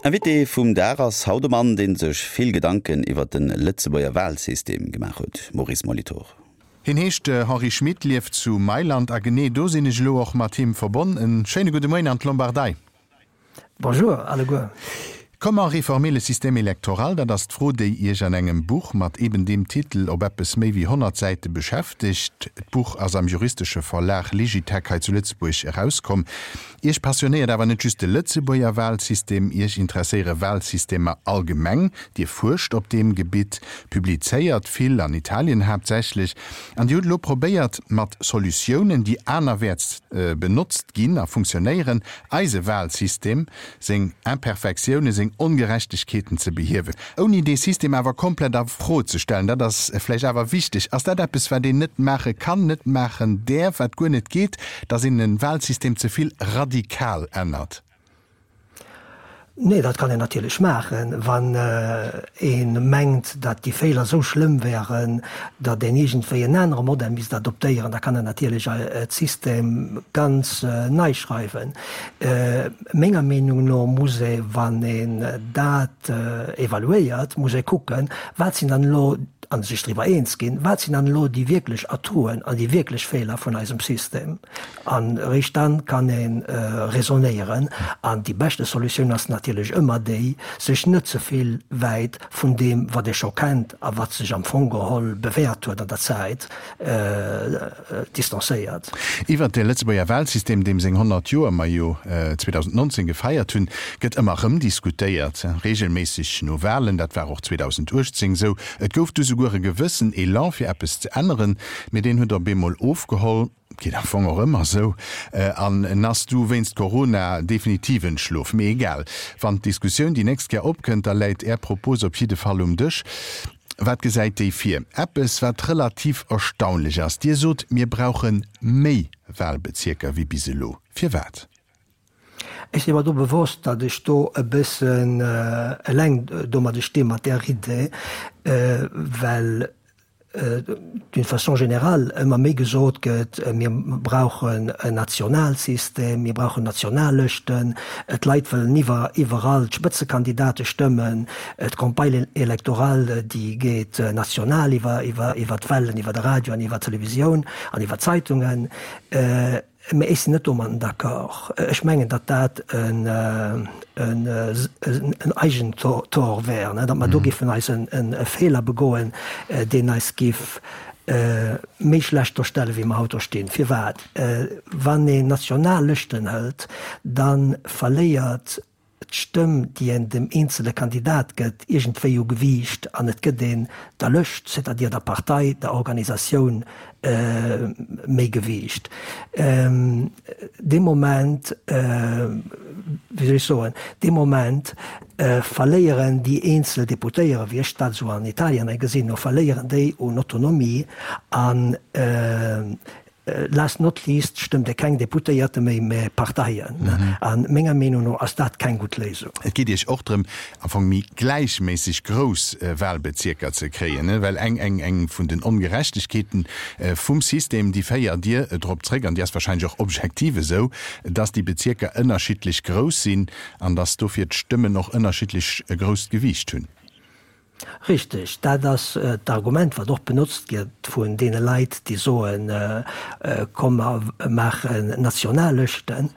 Invité vum Dag ass haut e Mann, dee sech vill Gedanken iwwer de Lëtzebuerger Walsystem gemaach huet, Maurice Molitor. Hien heescht Henri Schmit, lieft zu Mailand a genee do sinn ech elo och mat him verbonn. En schéine gudde Moien an d'Lombardei. Bonjour alleguer. Comment réformer le système électoral? Dat ass d'Fro, déi Iech an engem Buch mat eben deem Titel op eppes méi wéi 100 Säite beschäftegt. D'Buch ass am juristesche Verlag Ligitec hei zu Lëtzebuerg erauskomm. Iech passionéiert awer net just de Lëtzebuerger Walsystem, Iech interesséiere Walsystemer allgemeng. Dir fuerscht op deem Gebitt, publizéiert vill, an Italien haaptsächlech, an Dir hutt elo probéiert, mat Solutiounen, déi anerwäerts benotzt ginn a funktionéieren, eise Walsystem, seng Imperfektiounen, seng Ongerechtegkeeten ze behiewen, ouni dee System awer komplett a Fro ze stellen. Dat ass vläicht awer wichteg. Ass dat eppes, wat een net maache kann, net maachen däerf, wat guer net geet, dass een e Walsystem ze vill radikal ännert? Nee, dat kann een natierlech maachen, wann ee mengt, datt déi Feeler esou schlëmm wären, datt een iergendwéi en anere Modell misst adoptéieren. Da kann een natierlech d'System ganz nei schreiwen. Menger Meenung no muss ee, wann een dat evaluéiert, muss ee kucken, wat sinn dann elo, a sech driwwer eens ginn, wat sinn dann elo déi wierklech Atouen an déi wierklech Feeler vun eisem System. An eréischt dann kann ee raisonnéieren. An déi beschte Solutioun ass natierlech ëmmer déi, sech net ze vill wäit vun deem, wat ee scho kennt a wat sech am Fong geholl bewährt huet an der Zäit, distanzéiert. Iwwert de Lëtzebuerger Wahlsystem, deem seng 100 Joer mer jo 2019 gefeiert hunn, gëtt ëmmer erëm diskutéiert, reegelméisseg no Wahlen. Dat war och 2018 esou. Et gouf du souguer e gewëssen Elan fir eppes ze änneren, mee deen huet op eemol ofgeholl. Geet am Fong och ëmmer esou. An en ass du wéinst Corona definitiv entschlof. Mee egal, wann d'Diskussioun déi nächst Kéier opkënnt, da läit Är Propos op jidde Fall um Dësch. Wat gesäit déi vir? Eppes, wat relativ erstaunlech ass, Dir sot, mir brauche méi Wahlbezierker wéi bis elo. Firwat? Ech si mer do bewosst, datt ech do e bëssen eleng domadde sti mat där Idee, well d'une façon générale ëmmer méi gesot gëtt, mir brauchen en Nationalsystem, mir brauchen Nationallëschten, d'Leit wëllen iwwer iwwerall d'Spëtzekandidate stëmmen, d'Campagne électorale déi geet national iwwer iwwer iwwer d'Wellen, iwwer de Radio an iwwer d'Televisioun an iwwer d'Zeitungen. Mä ech sinn net domatten d'accord. Ech mengen, datt dat en Eigentor wär, datt mer do géifen eis e Feeler begoen, deen eis géif méi schlecht do stellen, wéi mer haut do stinn. Firwat? Wann een national Lëschten hëlt, da verléiert d'Stëmm, déi een dem eenzele Kandidat gëtt, iergendwéi u Gewiicht an et gëtt een der Lëscht, c'est-à-dire der Partei, der Organisatioun méi Gewiicht. Dee Moment, wéi soll ech soen, dee Moment verléieren déi eenzel Deputéiere, wéi ech dat esou an Italien hei gesinn hu, verléieren déi un Autonomie an Last not least stëmmt e keng Deputéierte méi, mä Parteien. A menger Meenung no ass dat keng gutt Léisung. Et geet Iech och drëm, am Fong méi gläichméisseg grouss Wahlbezierker ze kréien, well eng eng eng vun den Ongerechtegkeeten vum System, déi féiert Dir drop zréck, an déi ass wahrscheinlech och objektiv esou, dass déi Bezierker ënnerschiddlech grouss sinn an dass dofir d'Stëmmen och ënnerschiddlech e grousst Gewiicht hunn. Richteg, dat ass d'Argument, wat och benotzt gëtt vun deene Leit, déi soen, komm mer maachen national Lëschten.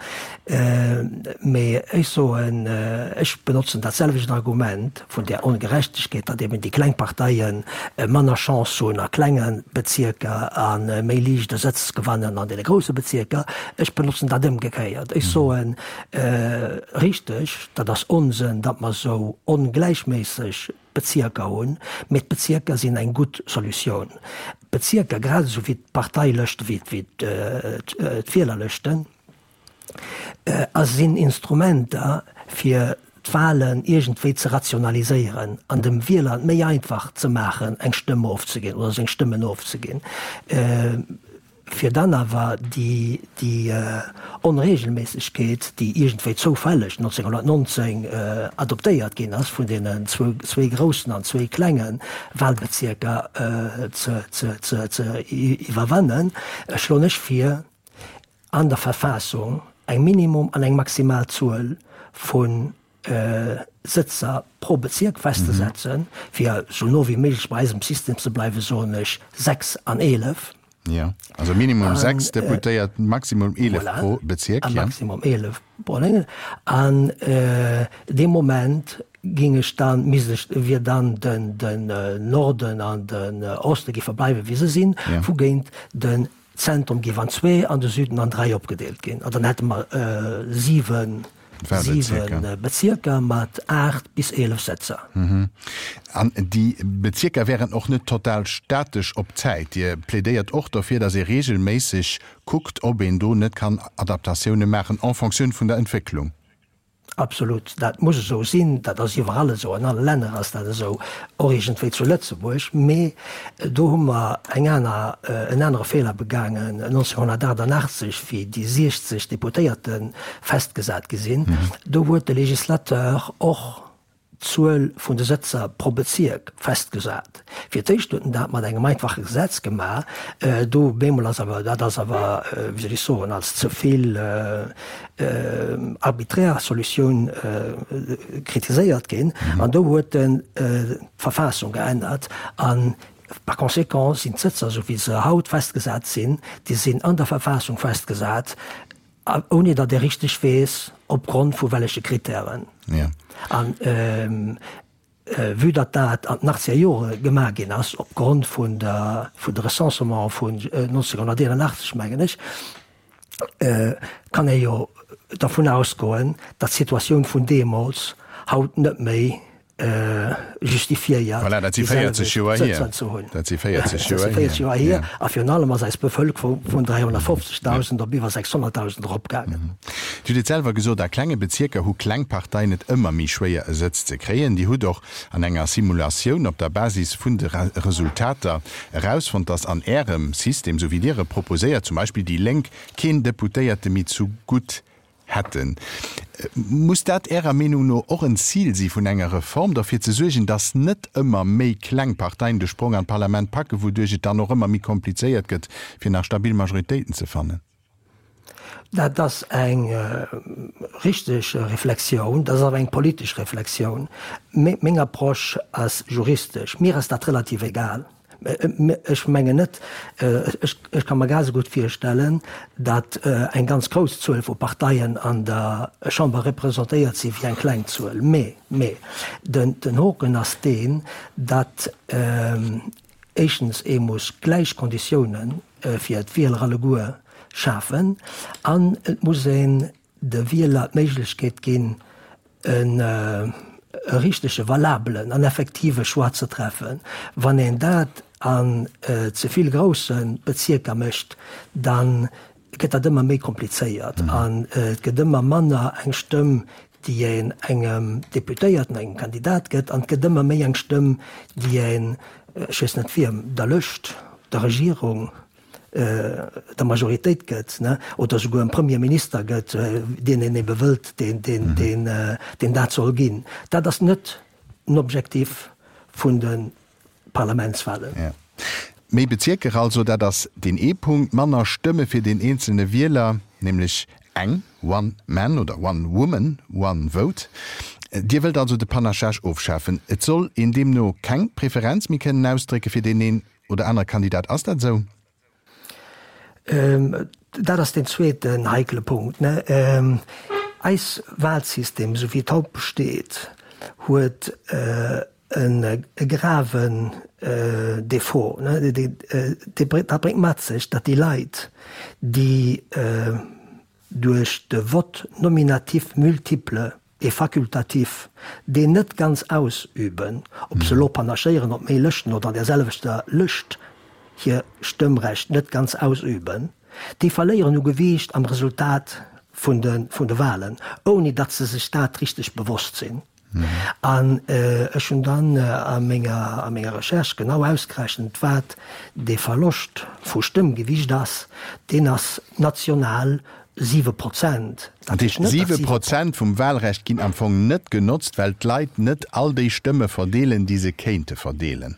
Mee ech soen, ech benotzen dat selwecht Argument vun där Ongerechtegkeet, datt eben déi kleng Parteie manner Chance hunn a klenge Bezierker a méi liicht e Sëtz gewannen an deene grousse Bezierker. Ech benotzen dat ëmgekéiert. Ech soen, richteg, Dat ass Onsënn, datt mer esou ongläichméisseg Bezierker hunn, mee d'Bezierker sinn eng gutt Solutioun. D'Bezierker, grad esou wéi d'Parteilëschten, wéi d'Wielerlëschten, a sinn Instrumenter, fir d'Wahlen iergendwéi ze rationaliséieren an dem Wieler et méi einfach ze maachen, eng Stëmm ofzeginn oder seng Stëmmen ofzeginn. Fir dann awer déi Onregelméissegkeet, déi iergendwéi zoufälleg 1919 adoptéiert ginn ass, vun deenen zwee groussen an zwee klenge Wahlbezierker ze iwwerwannen, schloen ech vir, an der Verfassung eng Minimum an eng Maximalzuel vu. Sëtzer pro Bezierk festzesetzen, fir esou no wéi méiglech bei eisem System ze bleiwen, soen ech 6 an 11. Jo, also Minimum 6 Deputéiert, Maximum 11 pro Bezierk. Voilà, a Maximum 11 pro Déngen. An dee Moment géing ech dann, misst ech, wier dann den Norden an den Oste géife bleiwen, wéi se sinn, wougéint den Zentrum géif an zwee an de Süden an dräi opgedeelt ginn. An dann hätte mer 7 Bezierker mat 8 bis 11 Sëtzer. An déi Bezierker wären och net total statesch op d'Zäit. Dir plädéiert och dofir, datt ee reegelméisseg kuckt, ob een do net kann Adaptatioune maachen en Fonctioun vun der Entwécklung. Absolut, dat muss esou sinn. Dat ass iwwerall esou, an alle Länner ass dat esou, och iergendwéi zu Lëtzebuerg. Mee do hu mer eng aner, en anere Feeler begaangen 1988, wéi déi 60 Deputéierte festgesat gi sinn. Do huet de Législateur och d'Zuel vun de Sëtzer pro Bezierk festgesat. Fir d'éischt huet en dat mat engem einfache Gesetz gemaach, do bemol ass awer, dat ass awer, wéi soll ech soen, als ze vill arbiträr Solutioun kritiséiert ginn an do huet en d'Verfassung geännert an par conséquent sinn d'Sëtzer, esou wéi se haut festgesat sinn, déi sinn an der Verfassung festgesat, Ouni datt ee richteg weess, opgrond vu welleche Kritären. An vue datt dat an den achtzeger Jore gemaach ginn ass, opgrond vun der, vun de Recensement vun 1981, mengen ech, kann ee jo dervun ausgoen, datt d'Situatioun vun deemools haut net méi justifiéiert, Voilà, dat si 40 Joer hier. Ze hunn. Dat si 40 Joer hier. 40 Joer hier. A virun allem ass eis Bevëlkerung vun 350.000 op iwwer 600.000 eropgaangen. Dir hutt et selwer gesot, a klenge Bezierker hu kleng Parteien et ëmmer méi schwéier e Sëtz ze kréien. Dir hutt och an enger Simulatioun op der Basis vun de Resultater erausfonnt, datt an Ärem System, esou wéi Dir e proposéiert, zum Beispill déi Lénk keen Deputéierte méi zu gutt Hätten. Muss dat Ärer Meenung no och en Zil si vun enger Reform, derfir ze suergen, datt net ëmmer méi kleng Parteien de Sprong an d'Parlament packen, wouduerch et dann och ëmmer méi komplizéiert gëtt, fir nach stabil Majoritéiten ze fannen? Dat ass eng richteg Reflexioun, dat ass awer eng politesch Reflexioun. Meng Approche ass juristesch. Mir ass dat relativ egal. Ech mengen net, ech ka mer grad esou gutt virstellen, datt eng ganz grouss Zuel vu Parteien an der Chamber representéiert si wéi eng kleng Zuel. Mee, mee den Hoken ass deen, datt éischtens ee muss gläich Konditioune fir d'Wieler alleguer schafen an et muss een de Wieler d'Méiglechkeet ginn, e richtege, valabelen an effektive Choix ze treffen. Wann een dat an ze vill grousse Bezierker mécht, da gëtt dat ëmmer méi komplizéiert an et gëtt ëmmer manner eng Stëmm, déi een engem Deputéierten, engem Kandidat gëtt, an et gëtt ëmmer méi eng Stëmm, déi een, ech weess net wiem, der Lëscht, der Regierung, der Majoritéit gëtt, ne, oder souguer em Premier Minister gëtt, deen een ebe wëllt, deen, deen, deen, deen dat soll ginn. Dat ass net den Objectif vun de Parlamentswahlen. Ja. Méi Bezierker also, dat ass deen ee Punkt. Manner Stëmme fir deen eenzelne Wieler, nämlech eng, one man oder one woman, one vote. Dir wëllt also de Panachage ofschafen. Et soll een deemno keng Preferenz méi kënnen ausdrécke fir deen een Oder anere Kandidat. Ass dat esou? Dat ass deen zweeten heikele Punkt. Eis Wahlsystem, esou wéi et haut besteet, huet e graven Défaut. Dat bréngt mat sech, datt déi Leit, déi duerch de Vote nominatif multiple et facultatif, deen net ganz ausüben, ob se elo panachéieren op méi Lëschten oder an där selwechter Lëscht hir Stëmmrecht net ganz ausüben, déi verléieren u Gewiicht am Resultat vun de vun de Wahlen, ouni datt se sech dat richteg bewosst sinn. An ech hunn dann a menger a menger Recherche genau ausgerechent, wat dee Verloscht vu Stëmmgewicht ass. Deen ass national 7 Prozent. Dat heescht, 7 Prozent vum Wahlrecht ginn am Fong net genotzt, well d'Leit net all déi Stëmme verdeelen, déi se kéinte verdeelen.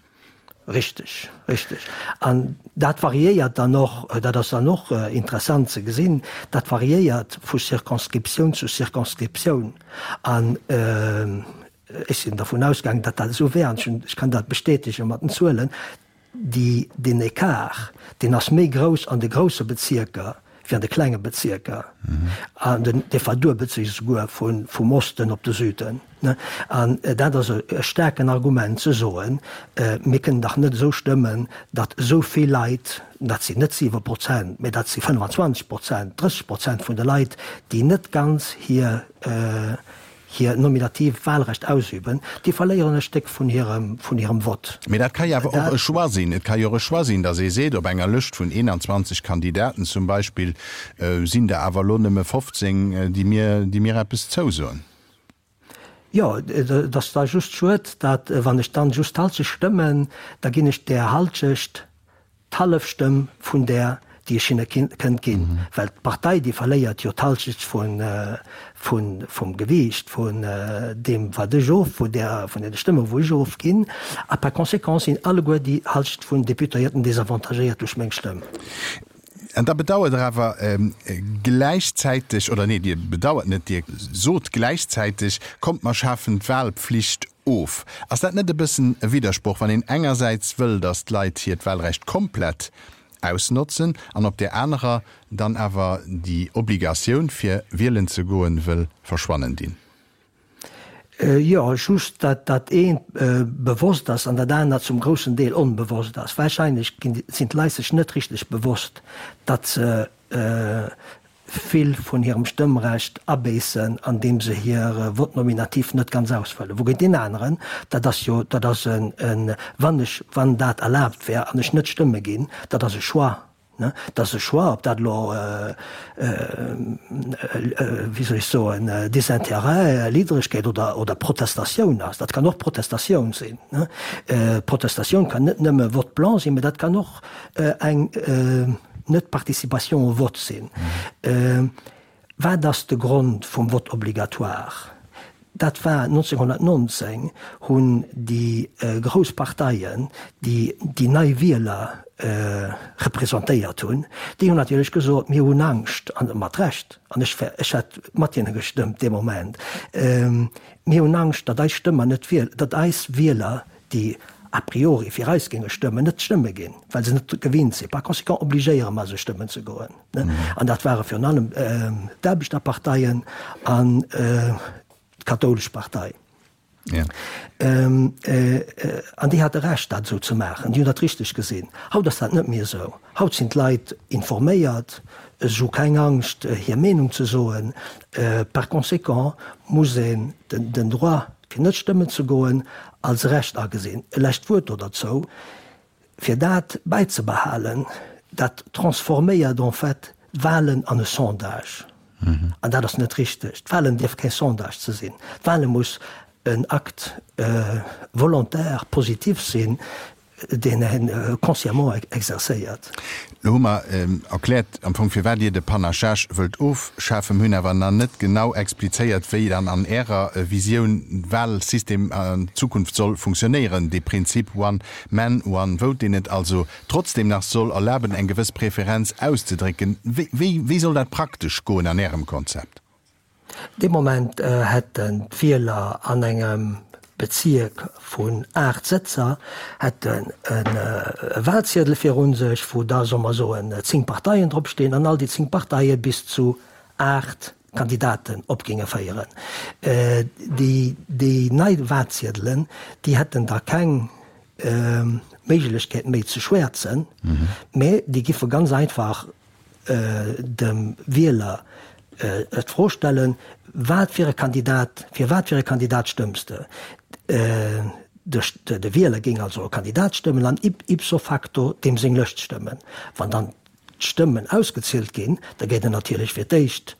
Richteg, richteg. An dat variéiert dann och, dat ass dann och interessant ze gesinn, dat variéiert vu Circonscriptioun zu Circonscriptioun. An ech sinn dervun ausgaangen, datt dat esou wär, an ech kann dat bestätege mat den Zuelen, déi, deen Ecart, deen ass méi grouss an de grousse Bezierker wéi an de klenge Bezierker. An den, dee verduebelt sech esouguer vu, vum Osten op de Süden. An dat ass e staarken Argument ze soen, mir kënnen dach net esou stëmmen, datt esou vill Leit, dat sinn net 7 Prozent, mä dat si 25 Prozent, 30 Prozent vun de Leit, déi net ganz hir, hir nominativ Wahlrecht ausüben, déi verléieren e Stéck vun hirem, vun hirem Vott. Mee dat ka jo awer och e Choix sinn. Et ka jo och e Choix sinn, datt ee seet, op enger Lëscht vun 21 Kandidaten zum Beispill sinn der awer elo nëmme 15, déi mir, déi mir eppes zousoen. Jo, et ass da just schued, datt wann ech dann just d'Halschecht stëmmen, da ginn ech där Halschecht d'hallef Stëmm vun där, déi ech hinne kënnt ginn, well d'Partei, déi verléiert jo d'Halschecht vum Gewiicht vun deem, wat ech of, vun där, vun deene Stëmme wou ech ofginn, a par conséquent sinn alleguer déi Halschecht vun Deputéierten désavantagéiert duerch meng Stëmm. An da bedauert Der awer gläichzäiteg, oder nee, Dir bedauert net, Dir sot gläichzäiteg, Kommt, mer schafen d'Wahlpflicht of. Ass dat net e bëssen e Widdersproch, wann een engersäits wëll, datt d'Leit hiert Wahlrecht komplett ausnotzen an op där anerer dann awer déi Obligatioun, fir wielen ze goen, wëll verschwannen dinn? Jo, just datt dat eent bewosst ass an dat anert zum groussen Deel onbewosst ass. Wahrscheinlech sinn d'Leit sech net richteg bewosst, datt se vill vun hirem Stëmmrecht abéissen, andeem se hir Vote nominatif net ganz ausfëllen. Wougéint deen aneren, dat ass jo, dat ass en, wann ech, wann dat erlaabt wär an ech net stëmme ginn, dat ass e Choix. Dat ass e Choix, ob dat elo, wéi soll ech soen, Désintérêt, Liddregkeet oder Protestatioun ass. Dat kann och Protestatioun sinn. Protestatioun kann net nëmme Vote blanc sinn, mä dat kann och eng Net-Participation au vote sinn. Wat ass de Grond vum Vote obligatoire? Dat war 1919 hunn déi grouss Parteien, déi déi nei Wieler representéiert hunn, déi hunn natierlech gesot, mir hunn Angscht, an mat Recht, an ech ech hätt mat hinne gestëmmt dee Moment, mir hunn Angscht, datt eis Stëmmer net wiel, datt eis Wieler, déi a priori fir eis géinge stëmmen, net stëmme ginn, well se net gewinnt sinn. Par conséquent obligéiere mer se stëmmen ze goen. An dat ware virun allem d'Aarbechterparteien an d'kathoulesch Partei. An déi hate Recht, dat esou ze maachen. Déi hunn dat richteg gesinn. Haut ass dat net méi esou. Haut sinn d'Leit informéiert, se hu keng Angscht, hir Meenung ze soen. Par conséquent muss een den Droit, fir net stëmmen ze goen, als Recht agesinn. E lescht Wuert do derzou. Fir dat bäizebehalen, dat transforméiert en fait d'Wahlen an e Sondage. An dat ass net richteg. D'Wahlen dierf kee Sondage ze sinn. D'Wahle muss en Acte volontaire, positif sinn, deen ee consciemment exercéiert. Elo hu mer erkläert am Fong, firwat Dir de Panachage wëllt ofschafen. Mir hunn awer nach net genau explizéiert, wéi dann an Ärer Visioun d'Wahlsystem an Zukunft soll funktionéieren, dee Prinzip One Man, One Vote, deen et also trotzdem nach soll erlaben, eng gewëss Preferenz auszedrécken. Wéi, wéi soll dat praktesch goen an Ärem Konzept? Dee Moment hätten d'Wieler an engem Bezierk vun 8 Sëtzer hätten e Wahlziedel virun sech, wou da, solle mer soen, 10 Parteien drop stinn an all déi 10 Parteie bis zu 8 Kandidaten op géinge féieren. Déi nei Wahlziedelen, déi hätten da keng Méiglechkeet méi ze schwäerzen, mä déi giffe ganz einfach dem Wieler d'Fro stellen, Wat fir e Kandidat, fir wat fir e Kandidat stëmms de? De Wieler géing also e Kandidat stëmmen an ipso facto deem seng Lëscht stëmmen. Wann dann d'Stëmmen ausgezielt ginn, da gétt en natierlech fir d'éischt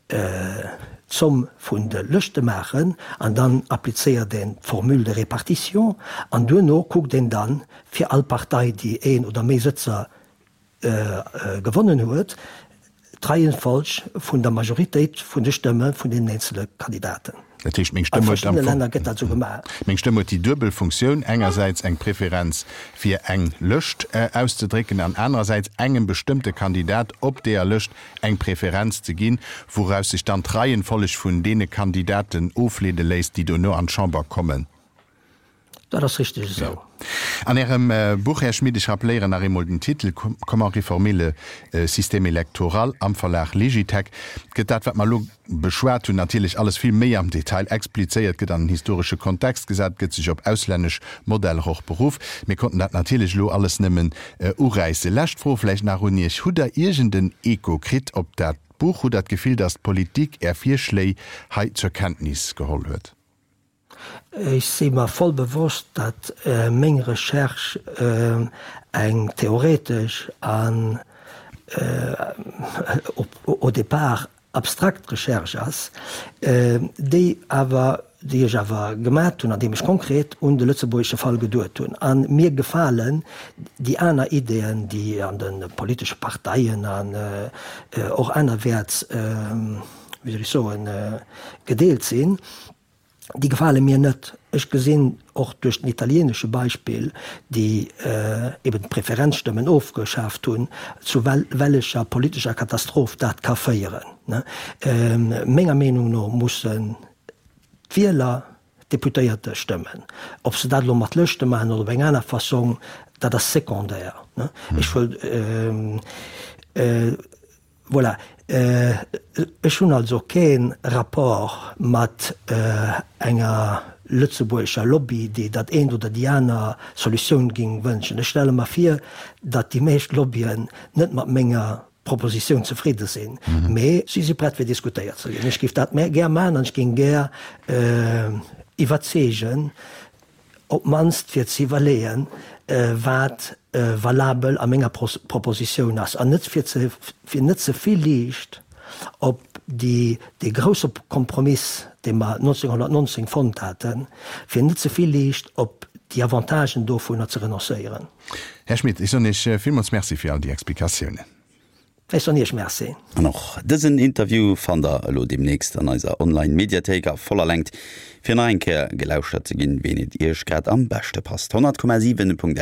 d'Zomm vun de Lëschte maachen an dann applizéiert een d'Formule de répartition an duerno kuckt een dann fir all Partei, déi een oder méi Sëtzer gewonnen huet. d'Reihenfolg vun der Majoritéit vun de Stëmme vun deenen eenzele Kandidaten. Dat heescht, meng Stëmm huet am Fong, meng Stëmm huet déi duebel Funktioun, engersäits eng Preferenz fir eng Lëscht auszedrécken an anerersäits engem bestëmmte Kandidat op deeër Lëscht eng Preferenz ze ginn, wouraus sech dann d'Reihenfolg vun deene Kandidaten ofleede léisst, déi dono an d'Chamber kommen. Dat ass richteg esou. An Ärem Buch, Här Schmit, ech rappeléieren nach eemol den Titel, Comment réformer le système électoral am Verlag Legitech, gëtt dat, wat mer elo beschwat hunn, natierlech alles vill méi am Detail explizéiert, gëtt an en historesche Kontext gesat, gëtt sech op auslännesch Modeller och beruff. Mir konnten dat natierlech elo alles nëmmen uräissen. Lescht Fro vläicht nach un Iech, Hutt Der iergend en Echo kritt op dat Buch? Hutt Der d'Gefill, datt d'Politik Är Virschléi hei zur Kenntnis geholl huet? Ech si mer voll bewosst, datt meng Recherche eng theoretesch an au départ abstrakt Recherche ass, déi awer, déi ech awer gemat hunn, andeem ech konkret un de lëtzebuergesche Fall geduet hunn. A mir gefalen déi aner Ideeën, déi an de politesche Parteien an och anerwäerts, wéi soll ech soen, gedeelt sinn, déi gefale mir net. Ech gesinn och duerch den italienesche Beispill, déi eben d'Preferenzstëmmen ofgeschaaft hunn, zu wellecher politescher Katastroph dat ka féieren. Menger Meenung no mussen d'Wieler d'Deputéierte stëmmen. Ob se dat elo mat Lëschte maachen oder op eng aner Fassong, dat ass secondaire. Ech wëll. Voilà. Ech hunn also kee Rapport mat enger lëtzebuergescher Lobby, déi dat eent oder déi aner Solutioun géing wënschen. Ech stelle mer vir, datt déi meescht Lobbyen net mat menger Propositioun zefridde sinn, mee si si prett fir diskutéiert ze ginn. Ech géif dat gär maachen an ech géing gär iwwerzeegen, op d'mannst fir ze iwwerleeën, wat valabel a menger Propositioun ass, an net fir ze fir net ze vill Liicht op déi dee grousse Kompromiss, dee mer 1919 fonnt haten, fir net ze vill Liicht op déi Avantagen dovunner ze renoncéieren. Här Schmit, ech soen Iech villmools Merci fir all déi Explikatiounen. Ech soen Iech Merci. An och dësen Interview fannt der elo deemnächst an eiser Online-Mediathéik a voller Längt, fir nach eng Kéier gelauschtert ze ginn, ween et Iech grad am beschte passt. 100,7.